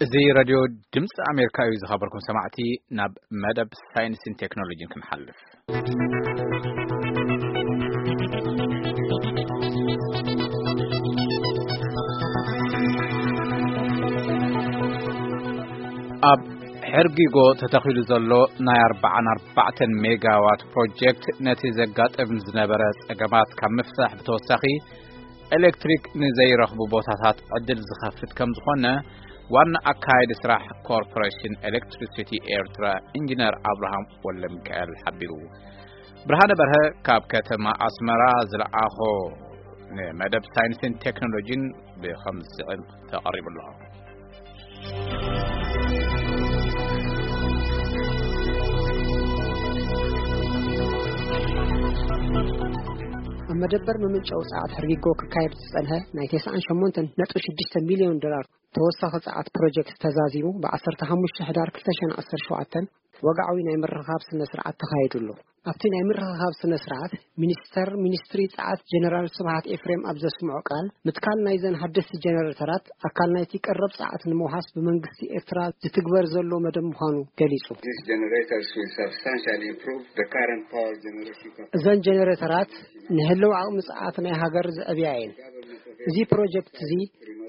እዚ ሬድዮ ድምፂ ኣሜሪካ እዩ። ዝኸበርኩም ሰማዕቲ፣ ናብ መደብ ሳይንስን ቴክኖሎጂን ክንሓልፍ። ኣብ ሕርጊጎ ተተኺሉ ዘሎ ናይ ኣርብዓን ኣርባዕተን ሜጋዋት ፕሮጀክት ነቲ ዘጋጥም ዝነበረ ጸገማት ካብ ምፍታሕ ብተወሳኺ፣ ኤሌክትሪክ ንዘይረኽቡ ቦታታት ዕድል ዝኸፍት ከም ዝኾነ ዋና ኣካያዲ ስራሕ ኮርፖሬሽን ኤሌክትሪሲቲ ኤርትራ ኢንጂነር ኣብርሃም ወልደሚካኤል ሓቢሩ። ብርሃነ በርሀ ካብ ከተማ ኣስመራ ዝለኣኾ ንመደብ ሳይንስን ቴክኖሎጂን ብኸም ዝስዕብ ተቐሪቡ ኣሎ። ኣብ መደበር መመንጨዊ ጸዓት ሕርጊጎ ክካየድ ዝጸንሐ ናይ ተስዓን ሸሞንተን ነጥቢ ሽዱሽተ ሚልዮን ዶላር ተወሳኺ ጸዓት ፕሮጀክት ተዛዚሙ፣ ብ ዓሰርተ ሓሙሽተ ሕዳር ክልተ ሽሕን ዓሰርተ ሸውዓተን ወግዓዊ ናይ ምርኻብ ስነ ስርዓት ተኻይዱ ኣሎ። ኣብቲ ናይ ምርኻብ ስነ ስርዓት፣ ሚኒስተር ሚኒስትሪ ጸዓት ጀነራል ስብሃት ኤፍሬም ኣብ ዘስምዖ ቃል፣ ምትካል ናይዘን ሓደስቲ ጀነሬተራት ኣካል ናይቲ ቀረብ ጸዓት ንምውሓስ ብመንግስቲ ኤርትራ ዝትግበር ዘሎ መደብ ምዃኑ ገሊጹ። These generators will substantially improve the current power generation capacity. እዘን ጀነሬተራት ንህልው ዓቕሚ ጸዓት ናይ ሃገር ዘዕብያ እየን። እዚ ፕሮጀክት እዚ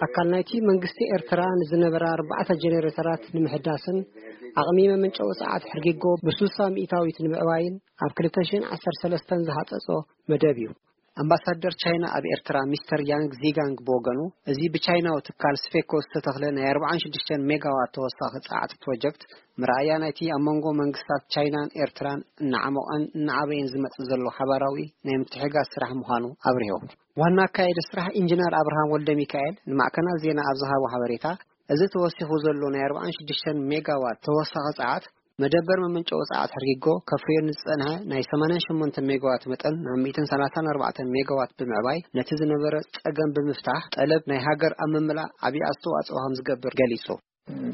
ኣካል ናይቲ መንግስቲ ኤርትራ ንዝነበራ ኣርባዕተ ጀነሬተራት ንምሕዳስን ዓቕሚ መመንጨዊ ጸዓት ሕርጊጎ ብስሳ ሚእታዊት ንምዕባይን ኣብ ክልተ ሽሕን ዓሰርተ ሰለስተን ዝሃጸጾ መደብ እዩ። ኣምባሳደር ቻይና ኣብ ኤርትራ ሚስተር ያንግ ዚጋንግ ብወገኑ፣ እዚ ብቻይናዊ ትካል ስፌኮ ዝተተኽለ ናይ ኣርብዓን ሽዱሽተን ሜጋዋት ተወሳኺ ጸዓት ፕሮጀክት፣ መርኣያ ናይቲ ኣብ መንጎ መንግስታት ቻይናን ኤርትራን እናዓሞቐን እናዓበየን ዝመጽእ ዘሎ ሓባራዊ ናይ ምትሕግጋዝ ስራሕ ምዃኑ ኣብሪሁ። ዋና ኣካያዲ ስራሕ ኢንጂነር ኣብርሃም ወልደ ሚካኤል ንማዕከናት ዜና ኣብ ዝሃቦ ሓበሬታ፣ እዚ ተወሲኹ ዘሎ ናይ ኣርብዓን ሽዱሽተን ሜጋዋት ተወሳኺ ጸዓት፣ መደበር መመንጨዊ ጸዓት ሕርጊጎ ከፍርዮ ንዝጸንሐ ናይ ሰማንያን ሸሞንተ ሜጋዋት መጠን ናብ ሚእትን ሰላሳን ኣርባዕተን ሜጋዋት ብምዕባይ፣ ነቲ ዝነበረ ጸገም ብምፍታሕ፣ ጠለብ ናይ ሃገር ኣብ ምምላእ ዓቢ ኣስተዋጽኦ ከም ዝገብር ገሊጹ።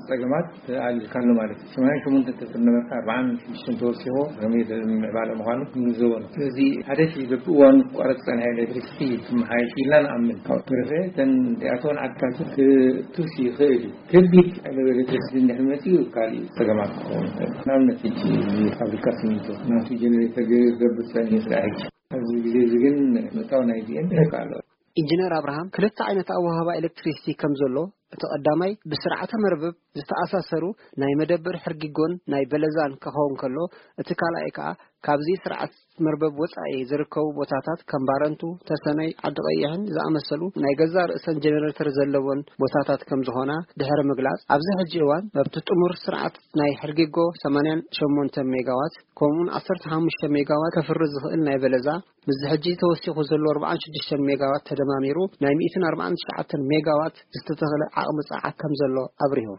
ጸገማት ኣሊልካሉ ማለት እዩ። ሰማንያን ሸሞንተ ተፍር ነበርካ፣ ኣርብዓን ሽዱሽተን ተወሲኹ፣ ከመይ ምዕባለ ምዃኑ ክንግንዘቦ ነው። ስለዚ ሓደ ሺ በብእዋኑ ክቋረጽ ዝጸንሐ ኤሌክትሪሲቲ ክመሓየሽ ኢልና ንኣምን። ካብኡ ብተረፈ እተን እዚኣተወን ዓድታት ክቱስ ይኽእል እዩ። ከቢድ ሓይሊ ኤሌክትሪሲቲ እንድሕር መጺኡ ካልእ ጸገማት ክኸውን ይኽእል። ንኣብነት ሕጂ እዚ ፋብሪካ ሲሚንቶ ናቱ ጀነሬተር ገይሩ ክገብር ጸኒሑ ስራሕ ሕጂ። ኣብዚ ግዜ እዚ ግን ምእታው ናይዚኤን ይረክብ ኣሎ። ኢንጂነር ኣብርሃም ክልተ ዓይነት ኣወሃህባ ኤሌክትሪሲቲ ከም ዘሎ፣ እቲ ቀዳማይ ብስርዓተ መርበብ ዝተኣሳሰሩ ናይ መደበር ሕርጊጎን ናይ በለዛን ክኸውን ከሎ፣ እቲ ካልኣይ ከኣ ካብዚ ስርዓት መርበብ ወጻኢ ዝርከቡ ቦታታት ከም ባረንቱ፣ ተሰነይ፣ ዓዲ ቀይሕን ዝኣመሰሉ ናይ ገዛእ ርእሰን ጀነሬተር ዘለወን ቦታታት ከም ዝኾና ድሕሪ ምግላጽ፣ ኣብዚ ሕጂ እዋን ኣብቲ ጥሙር ስርዓት ናይ ሕርጊጎ ሰማንያን ሸሞንተ ሜጋዋት ከምኡውን ዓሰርተ ሓሙሽተ ሜጋዋት ከፍሪ ዝኽእል ናይ በለዛ፣ ምስዚ ሕጂ ተወሲኹ ዘሎ ኣርብዓን ሽዱሽተን ሜጋዋት ተደማሚሩ ናይ ሚእትን ኣርባዓን ትሽዓተን ሜጋዋት ዝተተኽለ ዓቕሚ ጸዓት ከም ዘሎ ኣብሪሁ።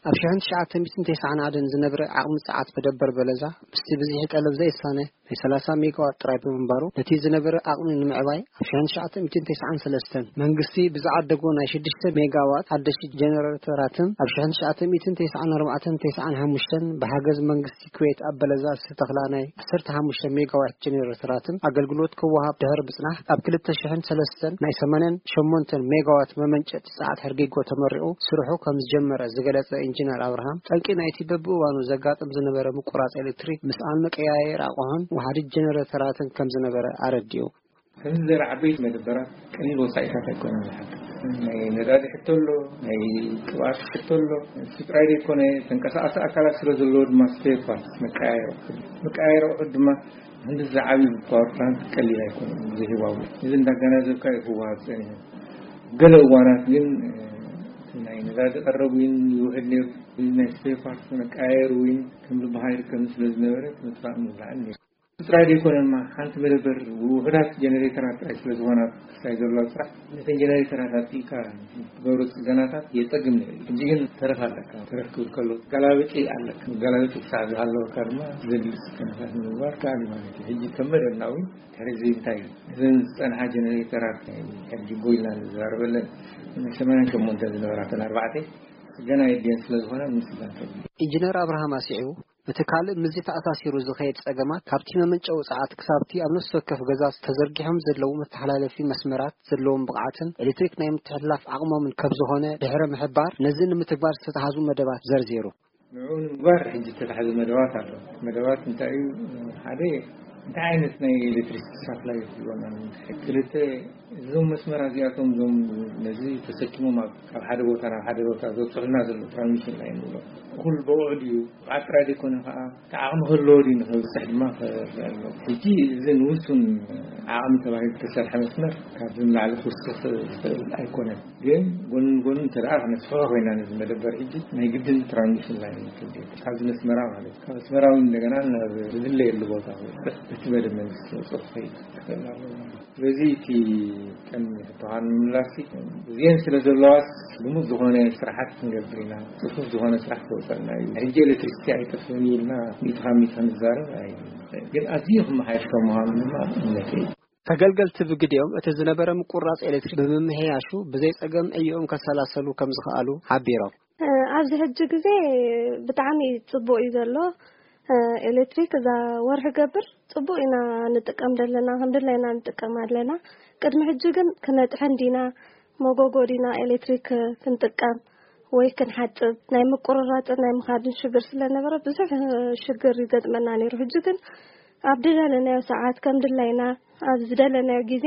ኣብ ሽሕን ትሽዓተ ሚእትን ተስዓን ሓደን ዝነብረ ዓቕሚ ጸዓት መደበር በለዛ፣ ምስቲ ብዝሒ ጠለብ ዘይሳነ ናይ ሰላሳ ሜጋዋት ጥራይ ብምንባሩ፣ ነቲ ዝነበረ ዓቕሚ ንምዕባይ ኣብ ሽሕን ትሽዓተ ሚእትን ተስዓን ሰለስተን መንግስቲ ብዝዓደጎ ናይ ሽዱሽተ ሜጋዋት ሓደሽቲ ጀነሬተራትን ኣብ ሽሕን ትሽዓተ ሚእትን ተስዓን ኣርባዕተን ተስዓን ሓሙሽተን ብሓገዝ መንግስቲ ኩዌት ኣብ በለዛ ዝተተኽላ ናይ ዓሰርተ ሓሙሽተ ሜጋዋት ጀነሬተራትን ኣገልግሎት ክወሃብ ድሕሪ ምጽናሕ፣ ኣብ ክልተ ሽሕን ሰለስተን ናይ ሰማንያን ሸሞንተን ሜጋዋት መመንጨቲ ጸዓት ሕርጊጎ ተመሪቑ ስርሑ ከም ዝጀመረ ዝገለጸ ኢንጂነር ኣብርሃም፣ ጠንቂ ናይቲ በብእዋኑ ዘጋጥም ዝነበረ ምቁራጽ ኤሌክትሪክ ምስኣን መቀያየሪ ኣቕሑን ወሓዲት ጀነሬተራትን ከም ዝነበረ ኣረዲኡ። ከምዚ ዝበለ ዓበይቲ መደበራት ቀሊል ወጻኢታት ኣይኮነን ዝሓትት። ናይ ነዳዲ ሕቶ ኣሎ፣ ናይ ቅብኣት ሕቶ ኣሎ። እሱ ጥራይ ዘይኮነ፣ ተንቀሳቐሲ ኣካላት ስለ ዘለዎ ድማ ስፔር ፓርትስ፣ መቀያየሪ ኣቑሑት፣ መቀያየሪ ኣቑሑት ድማ ክንዲ ዝዓብዩ ፓወር ፕላንት ቀሊል ኣይኮነን፣ ብዙሕ ይዋጉ። እዚ እንዳገናዘብካ እዩ ክወሃብ ጸኒሑ። ገለ እዋናት ግን፣ እ፣ ናይ ነዳዲ ቀረብ ዊን ይውሕድ ነይሩ። እዚ ናይ ስፔር ፓርትስ መቀያየሪ ዊን ከም ልቢ ሃይር ከም ስለ ዝነበረ፣ ምጥፋእ ምብላዕን ነይሩ። ጥራይ ዘይኮነ ድማ ሓንቲ መደበር ውሑዳት ጀነሬተራት ጥራይ ስለ ዝኾና ክሳይ ዘለዋ ስራሕ፣ ነተን ጀነሬተራት ኣጥፊእካ ትገብሮ ጽገናታት የጸግም ነይሩ። ሕጂ ግን ተረፍ ኣለካ። ተረፍ ክብል ከሎ ገላብጢ ኣለካ። ገላብጢ ክሳዕ ዝሃለወካ ድማ ዘድሊ ጽገናታት ንምግባር ከኣል እዩ ማለት እዩ። ሕጂ ከም መደብና እውን ድሕሪ እዚ እንታይ እዩ? እዘን ዝጸንሓ ጀነሬተራት ናይ ሕርጊጎ ኢልና ንዘራረበለን ናይ ሰማንያን ሸሞንተ ዝነበራተን ኣርባዕተ ጽገና የድልየን ስለ ዝኾነ ምስጋን ከብል። ኢንጂነር ኣብርሃም ኣስዒቡ፣ እቲ ካልእ ምስዚ ተኣሳሲሩ ዝኸየድ ጸገማት፣ ካብቲ መመንጨዊ ጸዓት ክሳብቲ ኣብ ነፍሲ ወከፍ ገዛ ተዘርጊሖም ዘለዉ መተሓላለፊ መስመራት ዘለዎም ብቕዓትን ኤሌክትሪክ ናይ ምትሕልላፍ ዓቕሞምን ከም ዝኾነ ድሕሪ ምሕባር፣ ነዚ ንምትግባር ዝተታሕዙ መደባት ዘርዚሩ። ንዕኡ ንምግባር ሕጂ ዝተታሕዘ መደባት ኣሎ። መደባት እንታይ እዩ? ሓደ፣ እንታይ ዓይነት ናይ ኤሌክትሪክ ሳፕላይ ይህልወና? ክልተ፣ እዞም መስመራት እዚኣቶም፣ እዞም ነዚ ተሰኪሞም ኣብ፣ ካብ ሓደ ቦታ ናብ ሓደ ቦታ ዘብፅሑልና ዘለዉ ትራንስሚሽን ላይን ንብሎ፣ እኹል ብቑዕ ድዩ? ብቕዓት ጥራይ ዘይኮነ ከዓ፣ እቲ ዓቕሚ ክህልዎ ድዩ ንኽብፅሕ ድማ ክረአ ኣለዎ። ሕጂ እዚ ንውሱን ዓቕሚ ተባሂሉ ዝተሰርሐ መስመር ካብዚ ንላዕሊ ክውስኽ ዝኽእል ኣይኮነን። ግን ጎኒ ንጎኒ እንተ ደኣ ክነስፍሖ ኮይና ነዚ መደበር ሕጂ ናይ ግድን ትራንስሚሽን ላይን ክብል እዩ። ካብዚ ነስመራ ማለት ካብ ኣስመራ እውን እንደገና ናብ ዝድለየሉ ቦታ ክበፅሕ በቲ መደብ መንግስቲ ዘውፅኦ ክኸይድ ክኽእል ኣለዎ ማለት እዩ። ስለዚ እቲ ቀንዲ ሕቶኻ ንምምላስ እዚአን ስለ ዘለዋስ ልሙድ ዝኾነ ስራሓት ክንገብር ኢና፣ ፅፉፍ ዝኾነ ስራሕ ክወፀልና እዩ። ሕጂ ኤሌክትሪሲቲ ኣይጠፍእን ኢልና ሚእቲ ካብ ሚእቲ ክንዛረብ ኣይንኽእል። ግን ኣዝዩ ክመሓየሽ ከም ምዃኑ ድማ እምነተይ እዩ። ተገልገልቲ ብግዲኦም እቲ ዝነበረ ምቁራፅ ኤሌክትሪክ ብምምሕያሹ ብዘይ ፀገም ዕይኦም ከሰላሰሉ ከም ዝኸኣሉ ሓቢሮም። እ፣ ኣብዚ ሕጂ ግዜ ብጣዕሚ ጽቡቕ እዩ ዘሎ። እ፣ ኤሌክትሪክ እዛ ወርሒ ገብር ጽቡቕ ኢና ንጥቀም ዘለና፣ ከም ድላይና ንጥቀም ኣለና። ቅድሚ ሕጂ ግን ክነጥሕን ዲና፣ መጎጎ ዲና ኤሌክትሪክ ክንጥቀም ወይ ክንሓጽብ፣ ናይ ምቁርራጽን ናይ ምኻድን ሽግር ስለ ነበረ፣ ብዙሕ ሽግር ይገጥመና ነይሩ። ሕጂ ግን ኣብ ዝደለናዮ ሰዓት፣ ከም ድላይና፣ ኣብ ዝደለናዮ ግዜ፣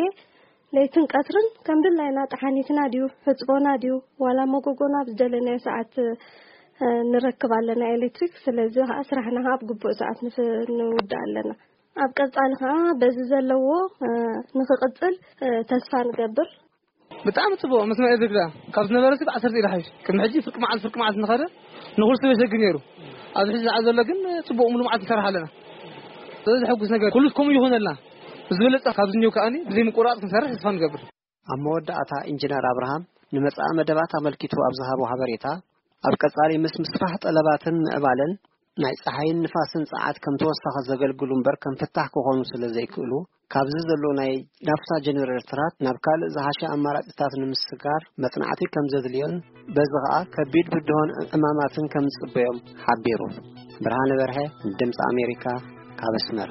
ለይትን ቀትርን ከም ድላይና ጠሓኒትና ድዩ፣ ሕጽቦና ድዩ፣ ዋላ መጎጎና ኣብ ዝደለናዮ ሰዓት፣ እ፣ ንረክብ ኣለና ኤሌክትሪክ። ስለዚ ኸኣ ስራሕና ኸኣ ኣብ ግቡእ ሰዓት ንፍ-፣ ንውድእ ኣለና። ኣብ ቀጻሊ ኸኣ በዚ ዘለዎ፣ እ፣ ንኽቕጽል፣ እ፣ ተስፋ ንገብር። ብጣዕሚ ጽቡቕ መስመር ኤሌክትሪክ ደኣ ካብ ዝነበረ ሲ ዓሰርተ ኢሉ ሓይሽ። ቅድሚ ሕጂ ፍርቂ መዓልቲ፣ ፍርቂ መዓልቲ እናኸደ ንኹሉ ሰብ የሰግር ነይሩ። ኣብዚ ሕጂ ሰዓት ዘሎ ግን ጽቡቕ ሙሉ መዓልቲ ንሰርሕ ኣለና። ስለዚ ዘሐጉስ ነገር ኩሉ ከምኡ ይኹነልና። ብዝበለጸ ካብዚ እኒኦ ከኣኒ ብዘይ ምቁራጽ ክንሰርሕ ተስፋ ንገብር። ኣብ መወዳእታ ኢንጂነር ኣብርሃም ንመጻኢ መደባት ኣመልኪቱ ኣብ ዝሃቦ ሓበሬታ፣ ኣብ ቀጻሊ ምስ ምስፋሕ ጠለባትን ምዕባለን ናይ ጸሓይን ንፋስን ጸዓት ከም ተወሳኺ ዘገልግሉ እምበር ከም ፍታሕ ክኾኑ ስለ ዘይክእሉ፣ ካብዚ ዘሎ ናይ ናፍታ ጀነሬተራት ናብ ካልእ ዝሓሸ ኣማራጺታት ንምስጋር መጽናዕቲ ከም ዘድልዮን በዚ ኸኣ ከቢድ ብድሆን ዕማማትን ከም ዝጽበዮም ሓቢሩ። ብርሃነ በርሀ፣ ድምጺ ኣሜሪካ፣ ካብ ኣስመራ።